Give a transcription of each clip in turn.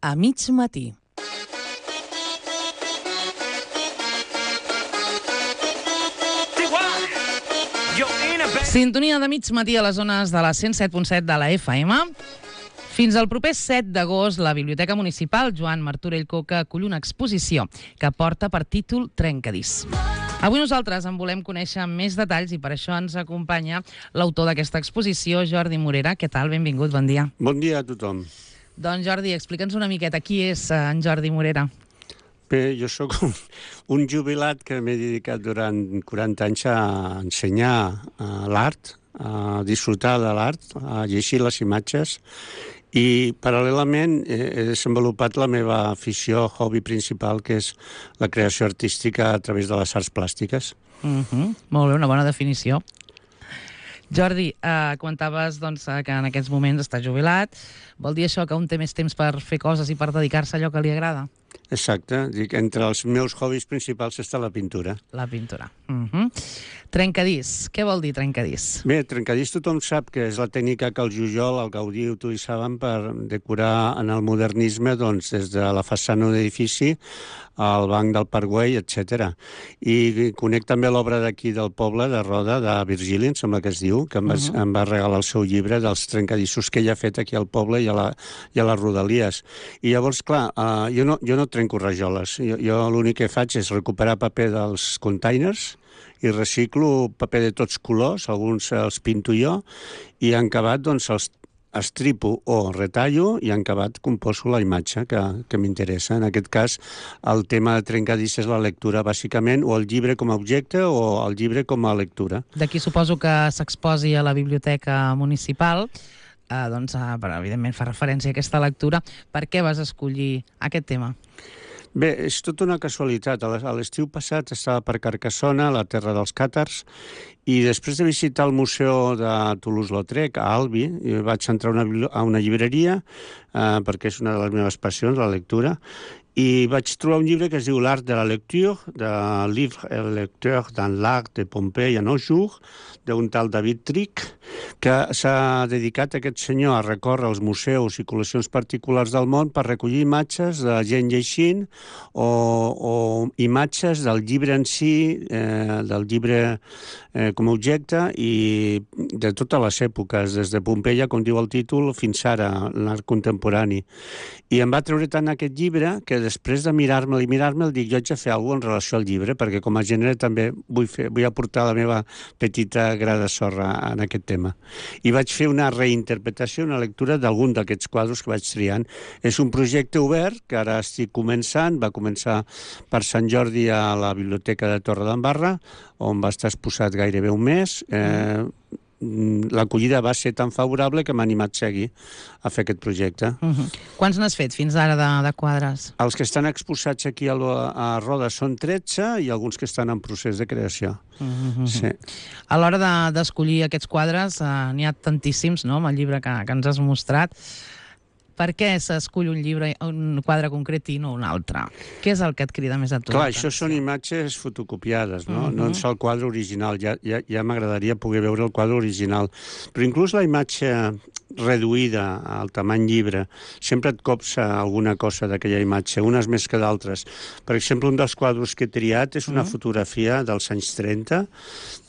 a mig matí. Sintonia de mig matí a les zones de la 107.7 de la FM. Fins al proper 7 d'agost, la Biblioteca Municipal Joan Martorell Coca acull una exposició que porta per títol Trencadís. Avui nosaltres en volem conèixer més detalls i per això ens acompanya l'autor d'aquesta exposició, Jordi Morera. Què tal? Benvingut, bon dia. Bon dia a tothom. Doncs Jordi, explica'ns una miqueta qui és en Jordi Morera. Bé, jo sóc un jubilat que m'he dedicat durant 40 anys a ensenyar l'art, a disfrutar de l'art, a llegir les imatges i paral·lelament he desenvolupat la meva afició, hobby principal, que és la creació artística a través de les arts plàstiques. Molt bé, una bona definició. Jordi, comentaves que en aquests moments està jubilat. Vol dir això que un té més temps per fer coses i per dedicar-se a allò que li agrada? Exacte. Dic, entre els meus hobbies principals està la pintura. La pintura. Trencadís. Què vol dir trencadís? Bé, trencadís tothom sap que és la tècnica que el Jujol, el Gaudí utilitzaven per decorar en el modernisme des de la façana d'un edifici al banc del Parc Güell, etc. I conec també l'obra d'aquí del poble, de Roda, de Virgili, em sembla que es diu, que em va regalar el seu llibre dels trencadissos que ell ha fet aquí al poble i a les Rodalies. I llavors, clar, jo no trenco rajoles. Jo l'únic que faig és recuperar paper dels containers i reciclo paper de tots colors, alguns els pinto jo, i en acabat els estripo o retallo i en acabat composo la imatge que m'interessa. En aquest cas, el tema de trencadís és la lectura, bàsicament, o el llibre com a objecte o el llibre com a lectura. D'aquí suposo que s'exposi a la Biblioteca Municipal, però evidentment fa referència a aquesta lectura. Per què vas escollir aquest tema? Bé, és tota una casualitat. A l'estiu passat estava per Carcassona, la terra dels càtars, i després de visitar el museu de Toulouse-Lautrec, a Albi, vaig entrar a una llibreria, perquè és una de les meves passions, la lectura, i vaig trobar un llibre que es diu L'art de la lecture, de Livre et lecteur dans l'art de Pompey en nos jours, d'un tal David Trick, que s'ha dedicat aquest senyor a recórrer els museus i col·leccions particulars del món per recollir imatges de gent llegint o imatges del llibre en si, del llibre com a objecte i de totes les èpoques, des de Pompeia, com diu el títol, fins ara, l'art contemporani. I em va treure tant aquest llibre que després de mirar-me'l, dic, jo haig de fer alguna cosa en relació al llibre, perquè com a gènere també vull aportar la meva petita gra de sorra en aquest tema. I vaig fer una reinterpretació, una lectura d'algun d'aquests quadres que vaig triant. És un projecte obert que ara estic començant, va començar per Sant Jordi a la Biblioteca de Torredembarra, on va estar exposat gairebé un mes. L'acollida va ser tan favorable que m'ha animat a seguir a fer aquest projecte. Quants n'has fet fins ara de quadres? Els que estan exposats aquí a Roda són 13 i alguns que estan en procés de creació. Sí. A l'hora d'escollir aquests quadres, n'hi ha tantíssims, no?, amb el llibre que ens has mostrat. Per què s'escull un quadre concret i no un altre? Què és el que et crida més a tu? Clar, això són imatges fotocopiades, no? No és el quadre original. Ja m'agradaria poder veure el quadre original. Però inclús la imatge reduïda al tamany llibre, sempre et copsa alguna cosa d'aquella imatge, unes més que d'altres. Per exemple, un dels quadres que he triat és una fotografia dels anys 30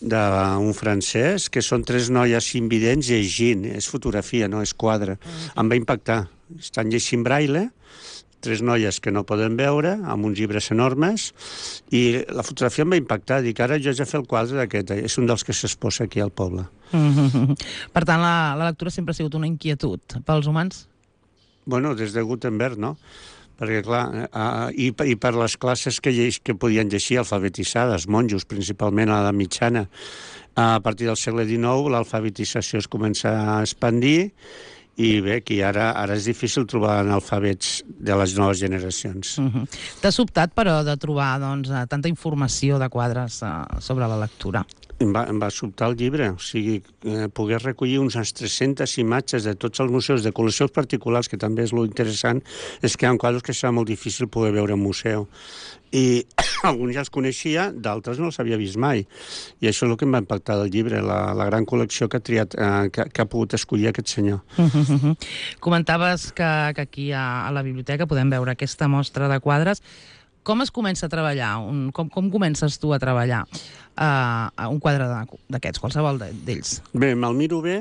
d'un francès, que són 3 noies invidents llegint. És fotografia, no és quadre. Em va impactar. Estan llegint braille, 3 noies que no poden veure, amb uns llibres enormes, i la fotografia em va impactar. Dic, ara jo haig de fer el quadre d'aquest. És un dels que s'exposa aquí al poble. Per tant, la lectura sempre ha sigut una inquietud pels humans? Bueno, des de Gutenberg, no? Perquè, clar, i per les classes que podien llegir alfabetitzades, monjos, principalment a l'edat mitjana. A partir del segle XIX, l'alfabetització es comença a expandir i bé, que ara és difícil trobar analfabets de les noves generacions. T'ha sobtat, però, de trobar tanta informació de quadres sobre la lectura? Em va sobtar el llibre, o sigui, poder recollir unes 300 imatges de tots els museus, de col·leccions particulars, que també és lo interessant, és que hi ha quadres que serà molt difícil poder veure en museu. I alguns ja els coneixia, d'altres no els havia vist mai. I això és el que em va impactar del llibre, la gran col·lecció que ha triat, que ha pogut escollir aquest senyor. Comentaves que aquí a la biblioteca podem veure aquesta mostra de quadres. Com es comença a treballar? Com comences tu a treballar un quadre d'aquests, qualsevol d'ells? Bé, me'l miro bé.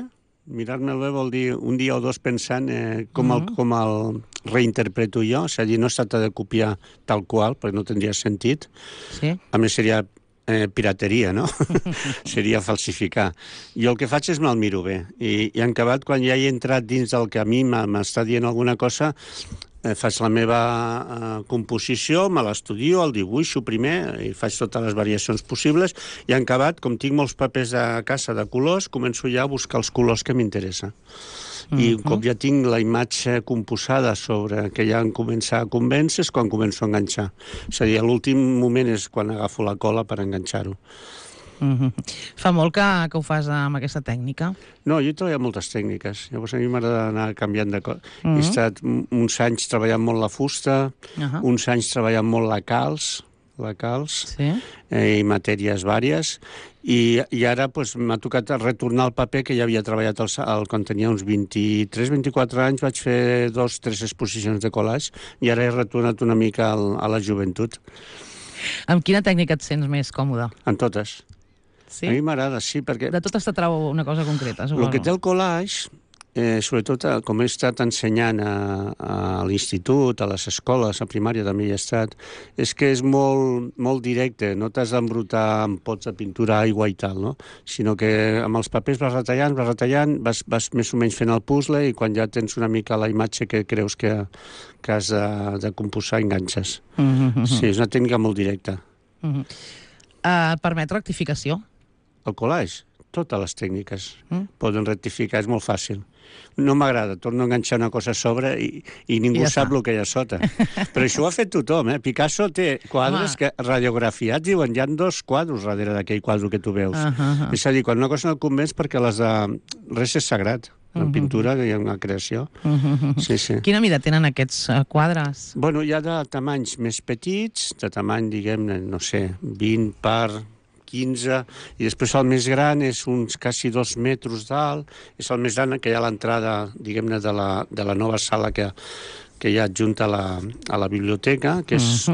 Mirar-me'l bé vol dir un dia o dos pensant com el reinterpreto jo. És a dir, no es tracta de copiar tal qual, perquè no tindria sentit. Sí. A més, seria pirateria, no? Seria falsificar. Jo el que faig és me'l miro bé. I en acabat, quan ja he entrat dins del que a mi m'està dient alguna cosa, faig la meva composició, me l'estudio, el dibuixo primer, i faig totes les variacions possibles, i en acabat, com tinc molts papers a casa de colors, començo ja a buscar els colors que m'interessen. I com ja tinc la imatge composada sobre que ja em comença a convèncer, és quan començo a enganxar. És a dir, l'últim moment és quan agafo la cola per enganxar-ho. Fa molt que ho fas amb aquesta tècnica? No, jo he treballat moltes tècniques. Llavors a mi m'agrada anar canviant de coses. He estat uns anys treballant molt la fusta, uns anys treballant molt la calç, sí. I matèries vàries, i ara m'ha tocat retornar al paper que ja havia treballat quan tenia uns 23-24 anys, vaig fer 2-3 exposicions de collage, i ara he retornat una mica a la joventut. Amb quina tècnica et sents més còmode? En totes. Sí? A mi m'agrada, sí, perquè... De totes t'atrau una cosa concreta, suposo. El que té el collage, sobretot com he estat ensenyant a l'institut, a les escoles, a primària també hi he estat, és que és molt directe, no t'has d'embrutar amb pots de pintura, aigua i tal, no? Sinó que amb els papers vas retallant, vas més o menys fent el puzzle, i quan ja tens una mica la imatge que creus que has de composar, enganxes. Sí, és una tècnica molt directa. Permet rectificació? El collage, totes les tècniques poden rectificar, és molt fàcil. No m'agrada, torno a enganxar una cosa a sobre i ningú sap el que hi ha sota. Però això ho ha fet tothom, eh? Picasso té quadres que radiografiats diuen hi ha 2 quadres darrere d'aquell quadre que tu veus. És a dir, quan una cosa no et convenç perquè res és sagrat. En pintura hi ha una creació. Sí. Quina mida tenen aquests quadres? Bueno, hi ha de tamanys més petits, de tamany, diguem-ne, no sé, 20 per 15, i després el més gran és uns quasi 2 metres d'alt, és el més gran que hi ha a l'entrada, diguem-ne, de la nova sala que hi ha adjunta a la biblioteca, que és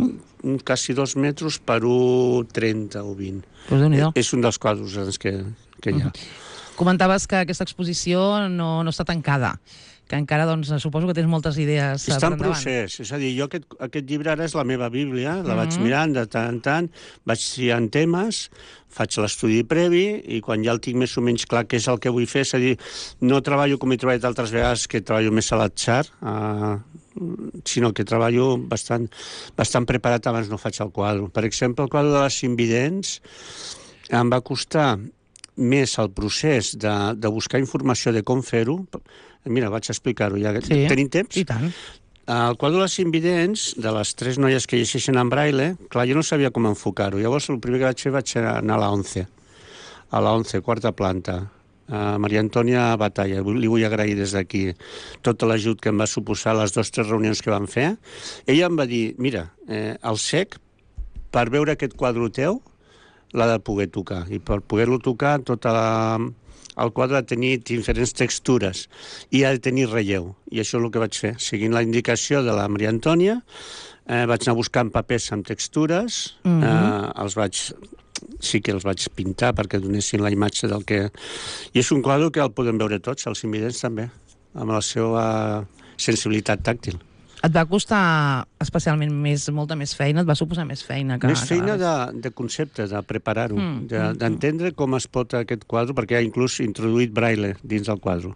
quasi 2 metres per 1,30 o 20. Pues Déu-n'hi-do. És un dels quadres que hi ha. Comentaves que aquesta exposició no està tancada, que encara, doncs, suposo que tens moltes idees per endavant. Està en procés, és a dir, jo aquest llibre ara és la meva bíblia, la vaig mirant de tant en tant, vaig triant temes, faig l'estudi previ, i quan ja el tinc més o menys clar què és el que vull fer, és a dir, no treballo com he treballat altres vegades, que treballo més a l'atzar, sinó que treballo bastant preparat abans no faig el quadre. Per exemple, el quadre de les invidents em va costar més el procés de buscar informació de com fer-ho. Mira, vaig explicar-ho ja. Sí, tenim temps? i tant. El quadre de les invidents, de les 3 noies que llegeixen en braille, clar, jo no sabia com enfocar-ho. Llavors, el primer que vaig fer vaig anar a la 11, quarta planta, a Maria Antònia Batalla. Li vull agrair des d'aquí tot l'ajut que em va suposar les 2 o 3 reunions que vam fer. Ella em va dir, mira, el cec, per veure aquest quadre teu, l'ha de poder tocar. I per poder-lo tocar, el quadre ha de tenir diferents textures i ha de tenir relleu. I això és el que vaig fer. Seguint la indicació de la Maria Antònia, vaig anar buscant papers amb textures, sí que els vaig pintar perquè donessin la imatge del que... I és un quadre que el podem veure tots, els invidents també, amb la seva sensibilitat tàctil. Et va costar especialment molta més feina? Et va suposar més feina? Més feina de concepte, de preparar-ho, d'entendre com es pot aquest quadre, perquè ha inclús introduït braille dins del quadre.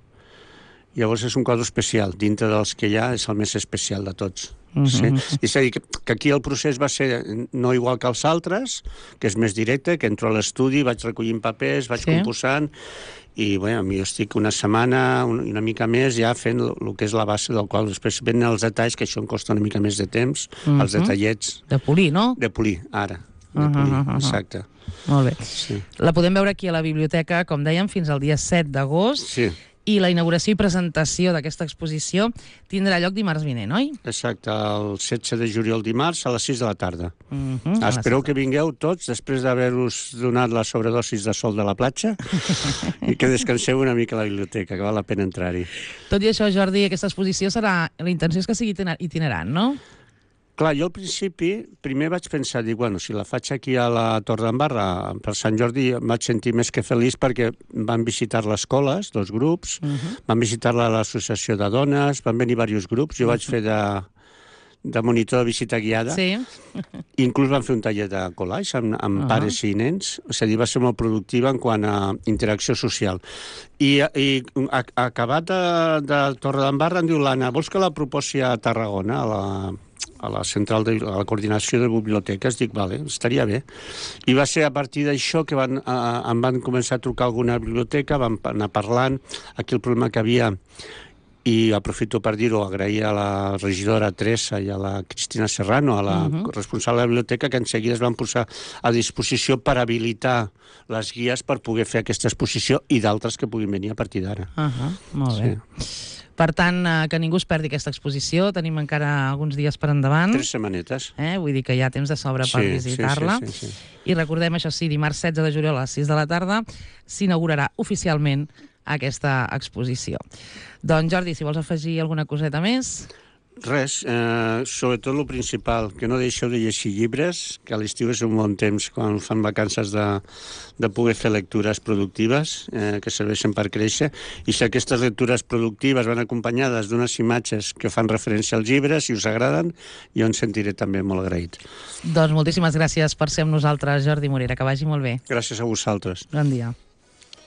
Llavors és un quadre especial, dintre dels que hi ha és el més especial de tots. Sí? És a dir, que aquí el procés va ser no igual que els altres, que és més directe, que entro a l'estudi, vaig recollint papers, vaig composant, i bé, jo estic una setmana, una mica més, ja fent el que és la base del quadre. Després venen els detalls, que això em costa una mica més de temps, els detallets. De polir, no? De polir, ara. de polir, exacte. Molt bé. Sí. La podem veure aquí a la biblioteca, com dèiem, fins al dia 7 d'agost. Sí. I la inauguració i presentació d'aquesta exposició tindrà lloc dimarts vinent, oi? Exacte, el 16 de juliol dimarts a les 6 de la tarda. Espereu que vingueu tots després d'haver-vos donat la sobredosis de sol de la platja i que descanseu una mica a la biblioteca, que val la pena entrar-hi. Tot i això, Jordi, aquesta exposició serà... La intenció és que sigui itinerant, no? Clar, jo al principi, primer vaig pensar, dic, bueno, si la faig aquí a la Torre d'en Barra per Sant Jordi, em vaig sentir més que feliç perquè van visitar les escoles, 2 grups, van visitar l'associació de dones, van venir diversos grups, jo vaig fer de monitor de visita guiada, Sí. inclús van fer un taller de collage amb pares i nens, és a dir, va ser molt productiva en quant a interacció social. I acabat de Torre d'en Barra em diu l'Anna, vols que la proposi a Tarragona, a la central de la coordinació de biblioteques? Dic, vale, estaria bé. I va ser a partir d'això que em van començar a trucar alguna biblioteca, vam anar parlant, aquí el problema que havia, i aprofito per dir-ho, agrair a la regidora Teresa i a la Cristina Serrano, a la responsable de la biblioteca, que en seguida es van posar a disposició per habilitar les guies per poder fer aquesta exposició i d'altres que puguin venir a partir d'ara. Molt bé. Per tant, que ningú es perdi aquesta exposició. Tenim encara alguns dies per endavant. 3 setmanetes. Vull dir que hi ha temps de sobre per visitar-la. Sí. I recordem, això sí, dimarts 16 de juliol a les 6 de la tarda s'inaugurarà oficialment aquesta exposició. Doncs, Jordi, si vols afegir alguna coseta més... Res, sobretot el principal, que no deixeu de llegir llibres, que a l'estiu és un bon temps quan fan vacances de poder fer lectures productives que serveixen per créixer, i si aquestes lectures productives van acompanyades d'unes imatges que fan referència als llibres, si us agraden, jo em sentiré també molt agraït. Doncs moltíssimes gràcies per ser amb nosaltres, Jordi Morera, que vagi molt bé. Gràcies a vosaltres. Bon dia.